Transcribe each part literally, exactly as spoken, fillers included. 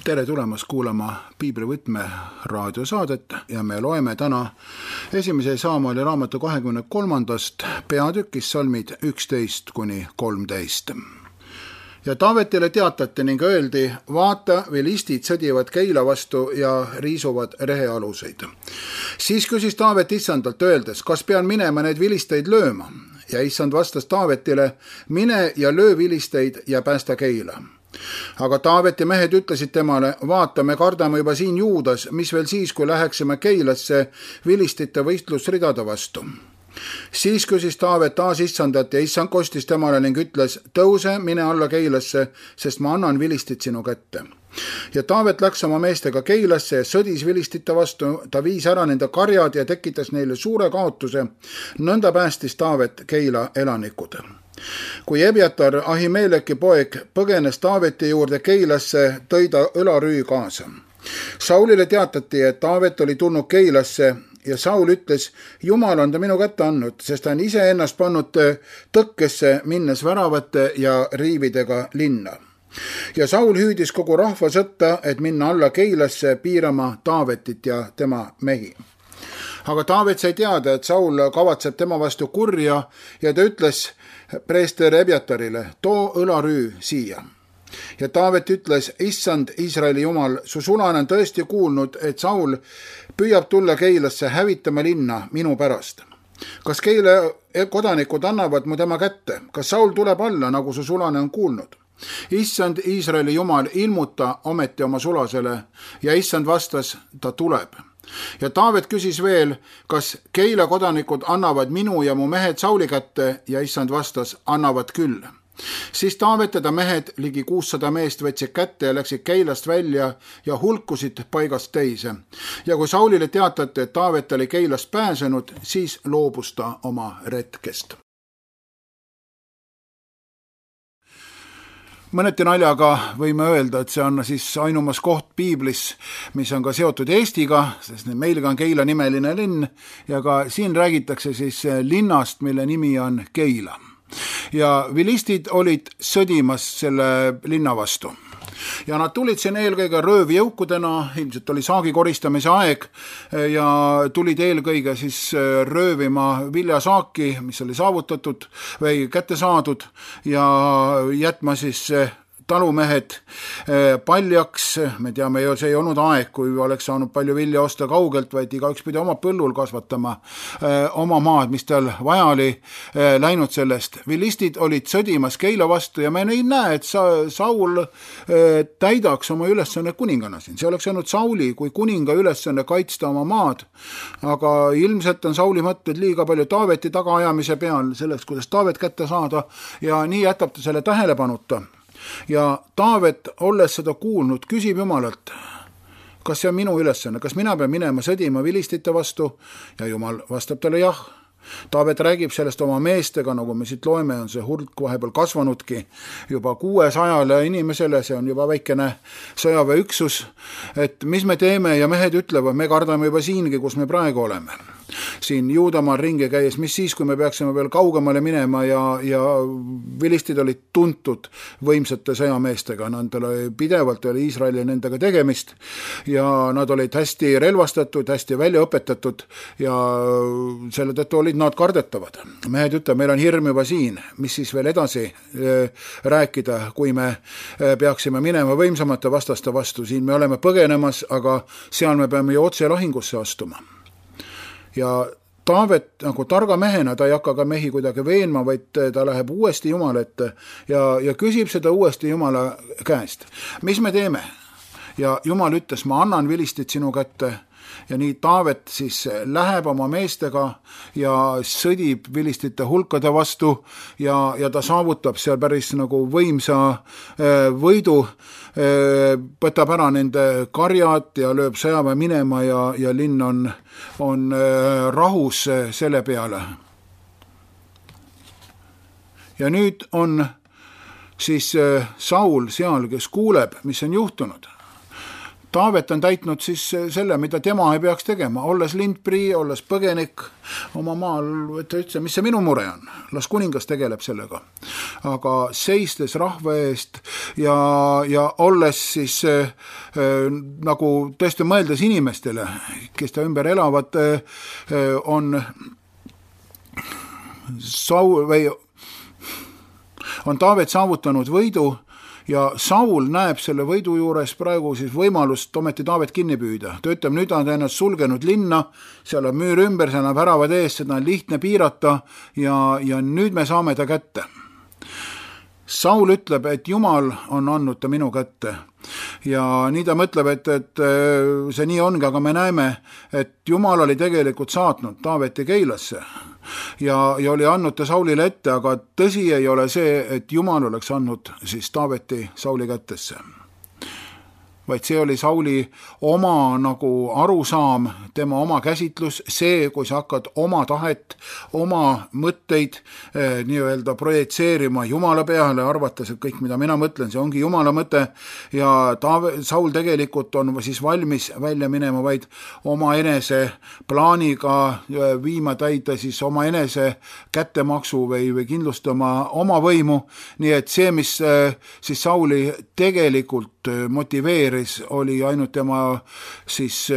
Tere tulemast kuulama Piiblivõtme raadiosaadet ja me loeme täna esimese Saamueli raamatu kahekümne kolmandast peatükist salmid üksteist kuni kolmteist. Ja Taavetile teatati ning öeldi, vaata, vilistid sõdivad Keila vastu ja riisuvad rehealuseid. Siis küsis Taavet issandalt öeldes, kas pean minema need vilisteid lööma? Ja issand vastas Taavetile, mine ja löö vilisteid ja päästa Keila. Aga Taaveti mehed ütlesid temale, vaata, me kardame juba siin Juudas, mis veel siis, kui läheksime Keilasse vilistite võistlusridade vastu. Siis küsis Taavet taas issandat ja issand kostis temale ning ütles, tõuse, mine alla Keilasse, sest ma annan vilistit sinu kätte. Ja Taavet läks oma meestega Keilasse ja sõdis vilistite vastu, ta viis ära nende karjad ja tekitas neile suure kaotuse, nõnda päästis Taavet Keila elanikud. Kui Ebiatar, Ahimeleki poeg, põgenes Taaveti juurde Keilasse, tõi ta õlarüü kaasa. Saulile teatati, et Taavet oli tulnud Keilasse ja Saul ütles, Jumal on ta minu kätte andnud, sest ta on ise ennast pannud tõkkesse, minnes väravate ja riividega linna. Ja Saul hüüdis kogu rahva sõtta, et minna alla Keilasse piirama Taavetit ja tema mehi. Aga Taavet sai teada, et Saul kavatseb tema vastu kurja ja ta ütles preester Ebiatarile, too õlarüü siia. Ja Taavet ütles, issand Iisraeli Jumal, su sulane on tõesti kuulnud, et Saul püüab tulla Keilasse hävitama linna minu pärast. Kas Keila kodanikud annavad mu tema kätte? Kas Saul tuleb alla, nagu su sulane on kuulnud? Issand Iisraeli Jumal, ilmuta ometi oma sulasele ja issand vastas, ta tuleb. Ja Taavet küsis veel, kas Keila kodanikud annavad minu ja mu mehed Sauli kätte ja issand vastas, annavad küll. Siis Taavet ja ta mehed ligi kuussada meest võtsid kätte ja läksid Keilast välja ja hulkusid paigast teise. Ja kui Saulile teatati, et Taavet oli Keilast pääsenud, siis loobus ta oma retkest. Mõneti naljaga võime öelda, et see on siis ainumas koht Piiblis, mis on ka seotud Eestiga, sest meilgi on Keila nimeline linn ja ka siin räägitakse siis linnast, mille nimi on Keila. Ja vilistid olid sõdimas selle linna vastu. Ja nad tulid siin eelkõige röövjõukudena, ilmselt oli saagi koristamise aeg ja tulid eelkõige siis röövima viljasaaki, mis oli saavutatud või kätte saadud ja jätma siis talumehed paljaks. Me teame ju, see ei olnud aeg, kui oleks saanud palju vilja osta kaugelt, vaid igaüks pidi oma põllul kasvatama oma maad, mis tal vaja oli läinud sellest. Vilistid olid sõdimas Keila vastu ja me ei näe, et Saul täidaks oma ülesanne kuningana siin. See oleks olnud Sauli kui kuninga ülesanne kaitsta oma maad, aga ilmselt on Sauli mõtted liiga palju Taaveti tagaajamise peal selleks, kuidas Taavet kätte saada ja nii jätab ta selle tähelepanuta. Ja Taavet, olles seda kuulnud, küsib Jumalalt, kas see on minu ülesanne, kas mina pean minema sõdima vilistite vastu ja Jumal vastab talle jah. Taavet räägib sellest oma meestega, nagu me siit loeme, on see hulk vahepeal kasvanudki juba kuuesajale inimesele, see on juba väikene sõjaväeüksus, et mis me teeme ja mehed ütlevad, me kardame juba siingi, kus me praegu oleme. Siin Juudamaal ringi käies, mis siis, kui me peaksime veel kaugemale minema ja, ja vilistid olid tuntud võimsate sõjameestega, nad oli pidevalt oli Iisraeli nendega tegemist ja nad olid hästi relvastatud, hästi välja õpetatud ja selle tõttu olid nad kardetavad. Mehed ütlevad, meil on hirm juba siin, mis siis veel edasi rääkida, kui me peaksime minema võimsamate vastaste vastu, siin me oleme põgenemas, aga seal me peame ju otse lahingusse astuma. Ja Taavet nagu targa mehena, ta ei hakka ka mehi kuidagi veenma, vaid ta läheb uuesti Jumala ette ja, ja küsib seda uuesti Jumala käest. Mis me teeme? Ja Jumal ütles, ma annan vilistit sinu kätte ja nii Taavet siis läheb oma meestega ja sõdib vilistite hulkade vastu ja, ja ta saavutab seal päris nagu võimsa võidu, võtab ära nende karjad ja lööb sõjaväe minema ja, ja linn on, on rahus selle peale. Ja nüüd on siis Saul seal, kes kuuleb, mis on juhtunud. Taavet on täitnud siis selle, mida tema ei peaks tegema, olles lindprii, olles põgenik oma maal, et ta ütles, mis see minu mure on, las kuningas tegeleb sellega. Aga seistes rahva eest ja, ja olles siis äh, nagu tõesti mõeldes inimestele, kes ta ümber elavad, äh, on Saul, või on Taavet saavutanud võidu ja Saul näeb selle võidu juures praegu siis võimalust ometi Taavet kinni püüda. Ta ütleb, nüüd on ta ennast sulgenud linna, seal on müür ümber, seal on väravad ees, seda on lihtne piirata ja, ja nüüd me saame ta kätte. Saul ütleb, et Jumal on andnud ta minu kätte. Ja nii ta mõtleb, et, et see nii ongi, aga me näeme, et Jumal oli tegelikult saatnud Taaveti Keilasse ja, ja oli andnud ta Saulile ette, aga tõsi ei ole see, et Jumal oleks andnud siis Taaveti Sauli kättesse. Vaid see oli Sauli oma nagu arusaam, tema oma käsitlus, see, kui sa hakkad oma tahet, oma mõtteid eh, nii-öelda projitseerima Jumala peale, arvates, et kõik, mida mina mõtlen, see ongi Jumala mõte ja Taave, Saul tegelikult on siis valmis välja minema vaid oma enese plaaniga viima täida siis oma enese kättemaksu või, või kindlustama oma võimu, nii et see, mis eh, siis Sauli tegelikult motiveeris, oli ainult tema siis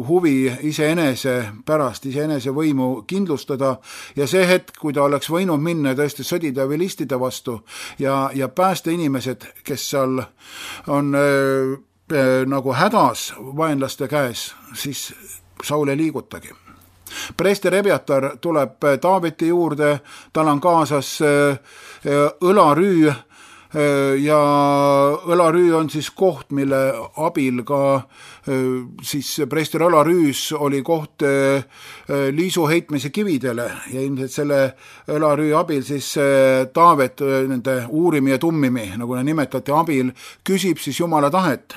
huvi iseenese pärast, iseenese võimu kindlustada ja see hetk, kui ta oleks võinud minna tõesti sõdida või listida vastu ja, ja päästa inimesed, kes seal on äh, äh, nagu hädas vaenlaste käes, siis Saul ei liigutagi. Preester Ebiatar tuleb Taaveti juurde, tal on kaasas äh, õlarüü, ja õlarüü on siis koht, mille abil ka siis preester õlarüüs oli koht liisu heitmise kividele ja ilmselt selle õlarüü abil siis Taavet nende uurimi ja tummimi, nagu ne nimetati, abil küsib siis Jumala tahet.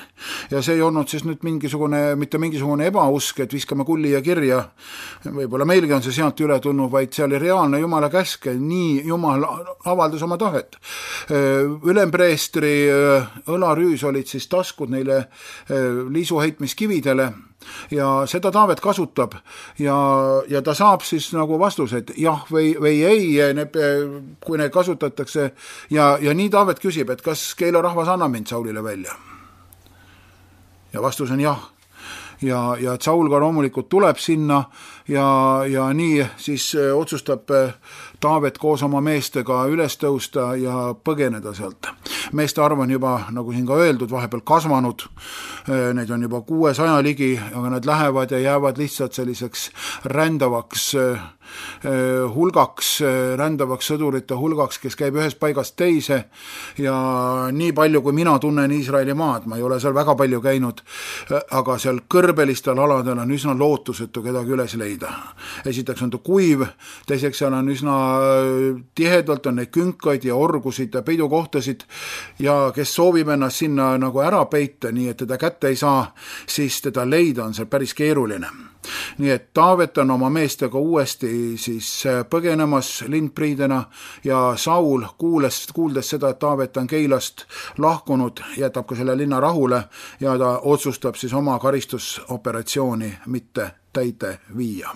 Ja see ei olnud siis nüüd mingisugune, mitte mingisugune ebausk, et viskame kulli ja kirja, võib-olla meilgi on see sealt üle tulnud, vaid see oli reaalne Jumala käske, nii Jumal avaldas oma tahet. Ülempreestri õlarüüs olid siis taskud neile liisuheitmiskividele ja seda Taavet kasutab ja, ja ta saab siis nagu vastused jah või, või ei, ne, kui neid kasutatakse ja, ja nii Taavet küsib, et kas Keila rahvas annab mind Saulile välja. Ja vastus on jah. Ja, ja Saul ka loomulikult tuleb sinna ja, ja nii siis otsustab Taavet koos oma meestega üles tõusta ja põgeneda sealt. Meeste arv on juba, nagu siin ka öeldud, vahepeal kasvanud, neid on juba kuuesaja ligi, aga nad lähevad ja jäävad lihtsalt selliseks rändavaks hulgaks, rändavaks sõdurite hulgaks, kes käib ühest paigast teise ja nii palju, kui mina tunnen Iisraeli maad, ma ei ole seal väga palju käinud, aga seal kõrbelistel aladel on üsna lootusetu kedagi üles leida. Esiteks on ta kuiv, teiseks seal on üsna tihedalt on neid künkaid ja orgusid ja peidukohtasid ja kes soovib ennast sinna nagu ära peita, nii et teda kätte ei saa, siis teda leida on seal päris keeruline. Nii et Taavet on oma meestega uuesti siis põgenemas lindpriidena ja Saul kuules, kuuldes seda, et Taavet on Keilast lahkunud, jätab ka selle linna rahule ja ta otsustab siis oma karistusoperatsiooni mitte täide viia.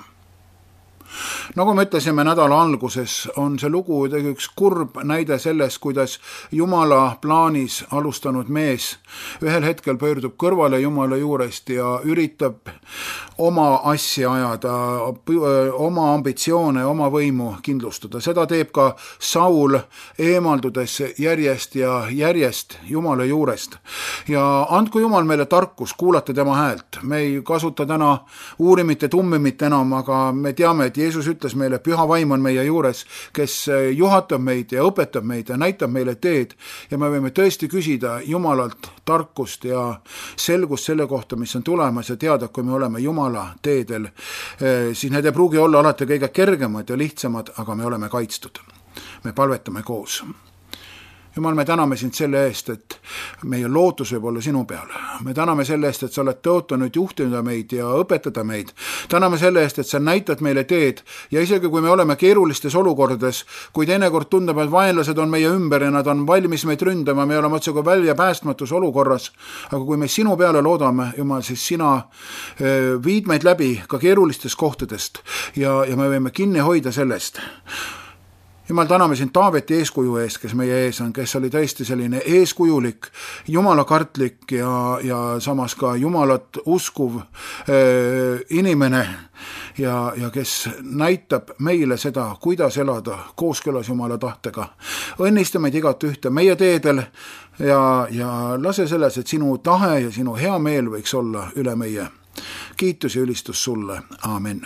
Nagu me ütlesime nädala alguses, on see lugu üks kurb näide sellest, kuidas Jumala plaanis alustanud mees ühel hetkel pöördub kõrvale Jumala juurest ja üritab oma asja ajada, oma ambitsioone, oma võimu kindlustada. Seda teeb ka Saul eemaldudes järjest ja järjest Jumala juurest. Ja andku Jumal meile tarkus kuulata tema häält. Me ei kasuta täna uurimit ja tummimit enam, aga me teame, et Jeesus ütles meile, püha vaim on meie juures, kes juhatab meid ja õpetab meid ja näitab meile teed ja me võime tõesti küsida Jumalalt tarkust ja selgust selle kohta, mis on tulemas ja teada, kui me oleme Jumala teedel, siis need ei pruugi olla alati kõige kergemad ja lihtsamad, aga me oleme kaitstud. Me palvetame koos. Jumal, me täname sind selle eest, et meie lootus võib olla sinu peal. Me täname selle eest, et sa oled tõotanud juhtida meid ja õpetada meid. Täname selle eest, et sa näitad meile teed ja isegi kui me oleme keerulistes olukordades, kui teinekord tundub, et vaenlased on meie ümber ja nad on valmis meid ründama, me oleme otse kui välja päästmatus olukorras, aga kui me sinu peale loodame, Jumal, siis sina viid meid läbi ka keerulistest kohtadest ja, ja me võime kinni hoida sellest. Jumal, täname sind Taaveti eeskuju eest, kes meie ees on, kes oli tõesti selline eeskujulik, jumalakartlik ja, ja samas ka jumalat uskuv äh, inimene ja, ja kes näitab meile seda, kuidas elada kooskõlas Jumala tahtega. Õnnista meid igat ühte meie teedel ja, ja lase selles, et sinu tahe ja sinu hea meel võiks olla üle meie. Kiitus ja ülistus sulle. Aamen.